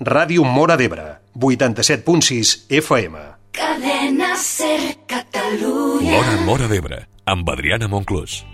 Ràdio Móra d'Ebre, 87.6 FM. Cadena Ser Catalunya. Móra d'Ebre, amb Adriana Monclús.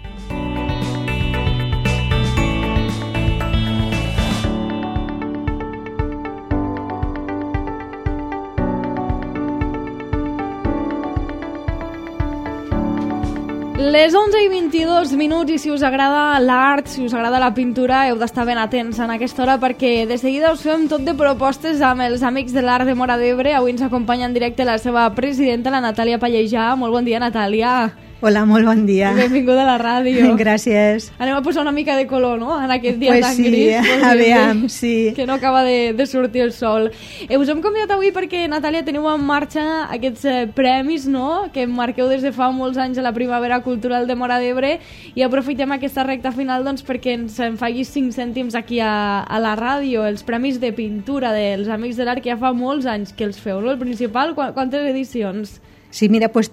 Les 11:22 i si us agrada l'art, si us agrada la pintura, heu d'estar ben atents en aquesta hora perquè de seguida us fem tot de propostes amb els amics de l'art de Móra d'Ebre. Avui ens acompanya en directe la seva presidenta, la Natàlia Pallejà. Molt bon dia, Natàlia. Hola, molt bon dia. Benvinguda a la ràdio. Gràcies. Anem a posar una mica de color, no?, en aquest dia pues tan sí, gris. aviam, sí. Que no acaba de sortir el sol. Us hem convidat avui perquè, Natàlia, teniu en marxa aquests premis, no?, que marqueu des de fa molts anys a la Primavera Cultural de Móra d'Ebre, i aprofitem aquesta recta final doncs, perquè ens en facis 5 cèntims aquí a la ràdio. Els premis de pintura dels Amics de l'Art, que ja fa molts anys que els feu, no? El principal, quantes edicions? Sí, mira, pues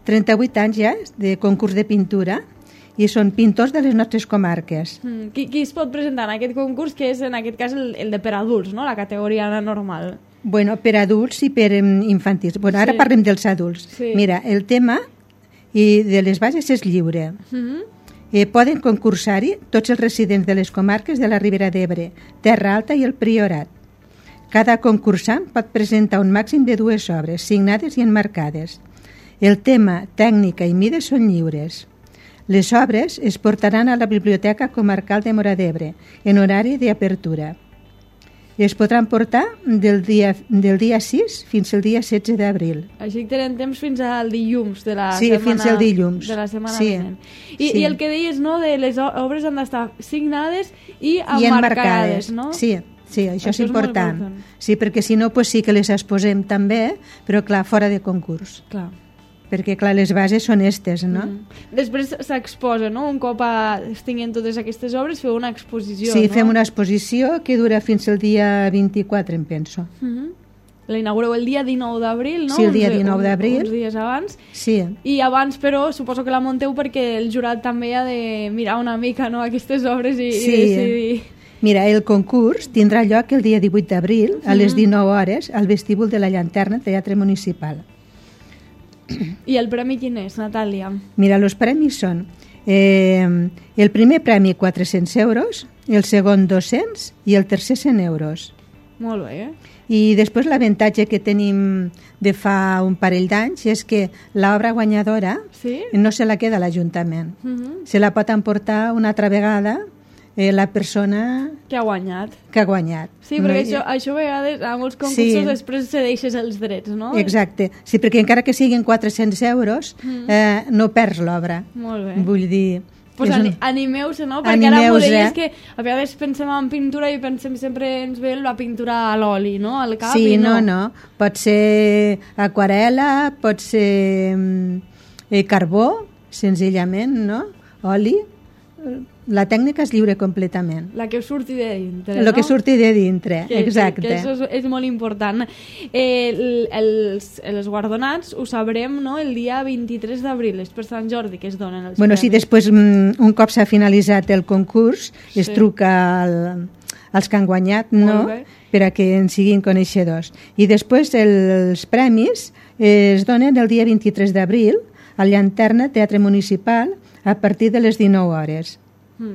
38 anys ja de concurs de pintura, i són pintors de les nostres comarques. Qui es pot presentar en aquest concurs, que és en aquest cas el de per adults, no?, la categoria normal? Bueno, per adults i per infantils. Bueno, ara parlem dels adults. Sí. Mira, el tema i de les bases és lliure. Poden concursar-hi tots els residents de les comarques de la Ribera d'Ebre, Terra Alta i el Priorat. Cada concursant pot presentar un màxim de 2 obres, signades i enmarcades. El tema, tècnica i mides són lliures. Les obres es portaran a la Biblioteca Comarcal de Móra d'Ebre en horari d'apertura. Es podran portar del dia 6 fins al dia 16 d'abril. Així que tenen temps fins al dilluns de la sí, setmana. Fins al dilluns. De la setmana sí. vinent. I el que deies, no?, de les obres han d'estar signades i enmarcades, no? Sí, això és important. Sí, perquè si no, pues sí que les exposem també, però clar, fora de concurs. Clar. Perquè, clar, les bases són estes, no? Després s'exposa, no? Un cop es tinguin totes aquestes obres, feu una exposició, sí, no? Fem una exposició que dura fins al dia 24, em penso. La inaugureu el dia 19 d'abril, no? Sí, el dia 19 d'abril. Uns dies abans. Sí. I abans, però, suposo que la munteu perquè el jurat també ha de mirar una mica, no?, aquestes obres i decidir... Mira, el concurs tindrà lloc el dia 18 d'abril a les 19 hores al vestíbul de la Llanterna Teatre Municipal. I el premi quin és, Natàlia? Mira, els premis són el primer premi 400 euros, el segon 200 i el tercer 100 euros. Molt bé, I després l'avantatge que tenim de fa un parell d'anys és que l'obra guanyadora no se la queda a l'Ajuntament. Se la pot emportar una altra vegada la persona que ha guanyat. Sí, perquè això a vegades a molts concursos després cedeixes els drets, no? Exacte, sí, perquè encara que siguin 400 euros no perds l'obra. Molt bé. Vull dir... Pues animeu-se, no? Perquè ara m'ho deies que a vegades pensem en pintura i pensem sempre ens ve la pintura a l'oli, no? Al cap. Sí, no. Pot ser aquarel·la, pot ser carbó, senzillament, no? Oli. La tècnica és lliure completament. La que surti de dintre, no? La que surti de dintre, exacte. Que això és molt important. Els guardonats ho sabrem, no?, el dia 23 d'abril, és per Sant Jordi que es donen els premis. Sí, després, un cop s'ha finalitzat el concurs, es truca als que han guanyat, no?, per a que en siguin coneixedors. I després els premis es donen el dia 23 d'abril al Llanterna Teatre Municipal a partir de les 19 hores.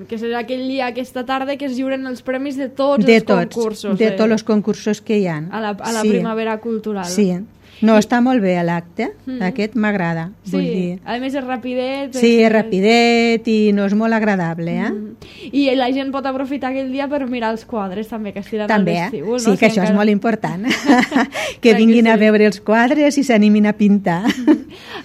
Que serà aquell dia, aquesta tarda, que es lliuren els premis de tots els concursos. De tots els concursos que hi ha. A la Primavera Cultural. Sí. No, està molt bé l'acte, aquest m'agrada. Sí, a més és rapidet. Sí, és rapidet i no és molt agradable, I la gent pot aprofitar aquell dia per mirar els quadres també que es tiren al vestíbul. Sí, que això és molt important. Que vinguin a veure els quadres i s'animin a pintar.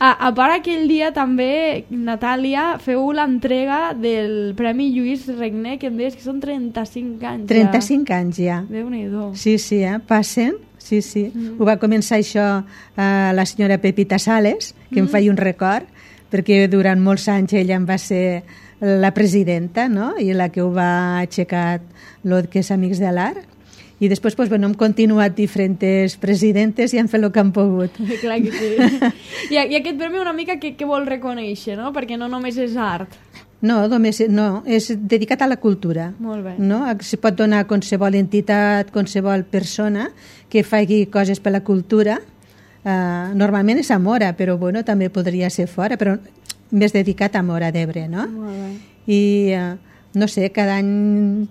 A part, aquell dia també, Natàlia, feu l'entrega del Premi Lluís Regner, que em deies que són 35 anys. 35 anys ja. Déu-n'hi-do. Sí, passen. Sí. Ho va començar això la senyora Pepita Sales, que em feia un record, perquè durant molts anys ella em va ser la presidenta, no?, i la que ho va aixecar el que és Amics de l'Art. I després hem continuat diferents presidentes i han fet el que han pogut. Clar que sí. I aquest premi una mica què vol reconèixer, no?, perquè no només és art. No, és dedicat a la cultura. Molt bé. No? Se pot donar a qualsevol entitat, qualsevol persona que faci coses per la cultura. Normalment és a Móra, però bueno, també podria ser fora, però més dedicat a Móra d'Ebre, no? Molt bé. I no sé, cada any...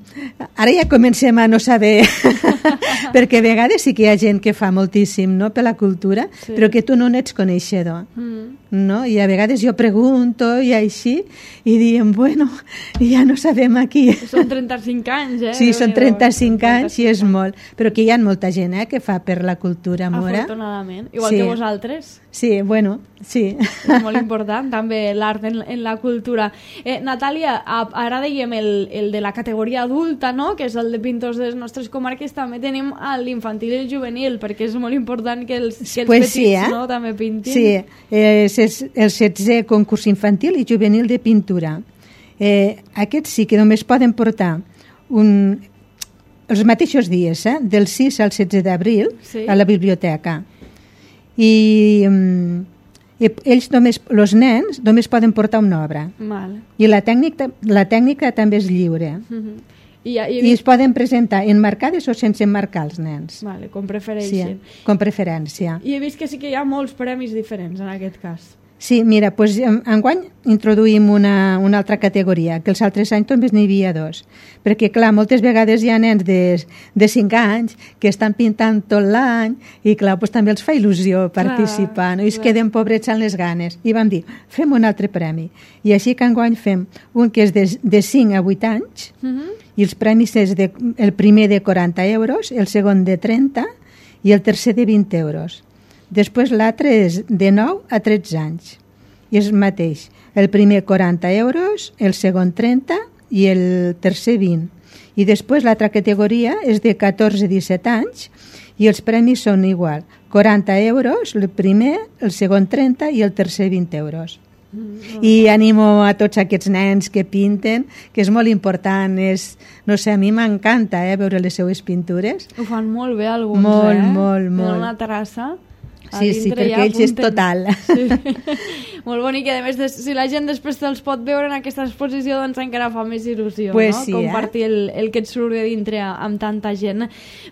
Ara ja comencem a no saber, perquè a vegades sí que hi ha gent que fa moltíssim, no?, per la cultura, sí, però que tu no n'ets coneixedor. No? I a vegades jo pregunto i així, i diem, bueno, ja no sabem aquí. Són 35 anys, Sí, són 35 anys i és molt. Però que hi ha molta gent que fa per la cultura, Móra. Afortunadament. Igual que vosaltres. Sí, bueno, sí. És molt important, també, l'art en la cultura. Natàlia, ara dèiem el de la categoria adulta, no?, que és el de pintors de les nostres comarques. També tenim l'infantil i el juvenil, perquè és molt important que els petits, sí, no?, també pintin. Sí, és el 16è concurs infantil i juvenil de pintura. Aquests sí que només poden portar els mateixos dies, del 6 al 16 d'abril, sí, a la biblioteca. I ells els nens només poden portar una obra. Mal. I la tècnica també és lliure. I es poden presentar enmarcades o sense enmarcar els nens. Vale, com prefereixen. Sí, com preferència. I he vist que sí que hi ha molts premis diferents en aquest cas. Sí, mira, doncs enguany introduïm una altra categoria, que els altres anys només n'hi havia 2. Perquè, clar, moltes vegades hi ha nens de 5 anys que estan pintant tot l'any i, clar, doncs també els fa il·lusió participar, no? I es queden pobrets amb les ganes. I vam dir, fem un altre premi. I així que enguany fem un que és de 5 a 8 anys i els premis és el primer de 40 euros, el segon de 30 i el tercer de 20 euros. Després l'altre és de 9 a 13 anys. I és el mateix. El primer 40 euros, el segon 30 i el tercer 20. I després l'altra categoria és de 14 a 17 anys i els premis són igual. 40 euros, el primer, el segon 30 i el tercer 20 euros. I animo a tots aquests nens que pinten, que és molt important. No sé, a mi m'encanta veure les seues pintures. Ho fan molt bé alguns, molt. Tenen una terrassa. Sí, perquè ells és total. Sí. Molt bonic, i a més, si la gent després te'ls pot veure en aquesta exposició, doncs encara fa més il·lusió, pues no? Sí, compartir el que et surt de dintre amb tanta gent.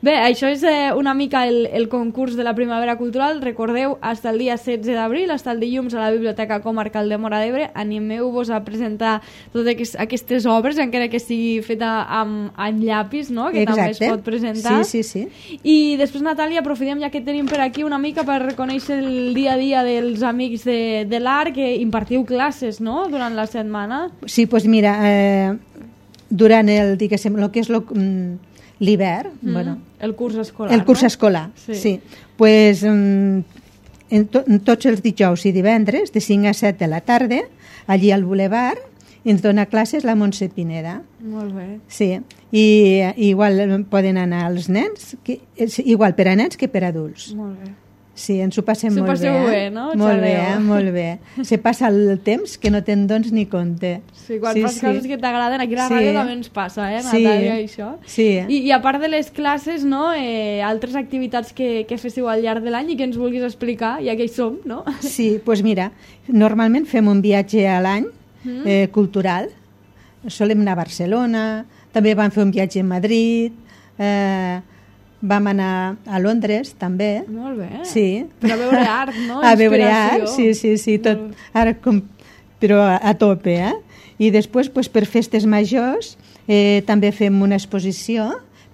Bé, això és una mica el concurs de la Primavera Cultural. Recordeu, fins el dia 16 d'abril, fins el dilluns a la Biblioteca Comarcal de Móra d'Ebre, animeu-vos a presentar totes aquestes obres, encara que sigui feta amb llapis, no?, que també es pot presentar. Sí. I després, Natàlia, aprofitem, ja que tenim per aquí, una mica per reconèixer el dia a dia dels amics de l'art, que impartiu classes, no?, durant la setmana. Sí, doncs mira, durant el que és l'hivern, bueno, el curs escolar. El curs escolar, sí. Pues, tots els dijous i divendres, de 5 a 7 de la tarda, allí al Boulevard, ens dona classes la Montse Pineda. Molt bé. Sí, i igual poden anar els nens, igual per a nens que per a adults. Molt bé. Sí, ens ho passem molt bé. S'ho passeu bé, no? Molt bé. Se passa el temps que no te'n dones ni compte. Sí, quan fas coses que t'agraden, aquí a la ràdio també ens passa, Natàlia, això. Sí. I a part de les classes, no?, altres activitats que féssiu al llarg de l'any i que ens vulguis explicar, ja que hi som, no? Sí, doncs mira, normalment fem un viatge a l'any cultural. Solem anar a Barcelona, també vam fer un viatge a Madrid, vam anar a Londres, també. Molt bé. Sí. Per a veure art, no? A veure art, sí. Tot, ara però a tope, I després, per festes majors, també fem una exposició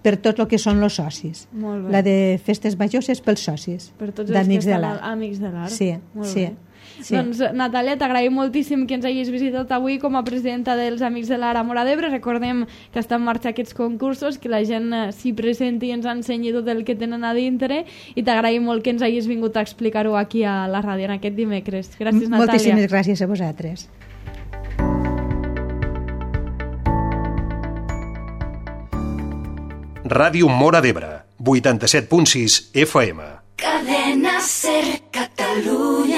per tot el que són els socis. Molt bé. La de festes majors és pels socis. Per tots els que estan amics de l'art. Sí, molt sí. Bé. Sí. Doncs, Natàlia, t'agraïm moltíssim que ens hagis visitat avui com a presidenta dels Amics de l'Art a Móra d'Ebre. Recordem que estan en marxa aquests concursos, que la gent s'hi presenti i ens ensenyi tot el que tenen a dintre, i t'agraïm molt que ens hagis vingut a explicar-ho aquí a la ràdio en aquest dimecres. Gràcies, Natàlia. Moltíssimes gràcies a vosaltres. Ràdio Móra d'Ebre, 87.6 FM. Cadena Ser Catalunya.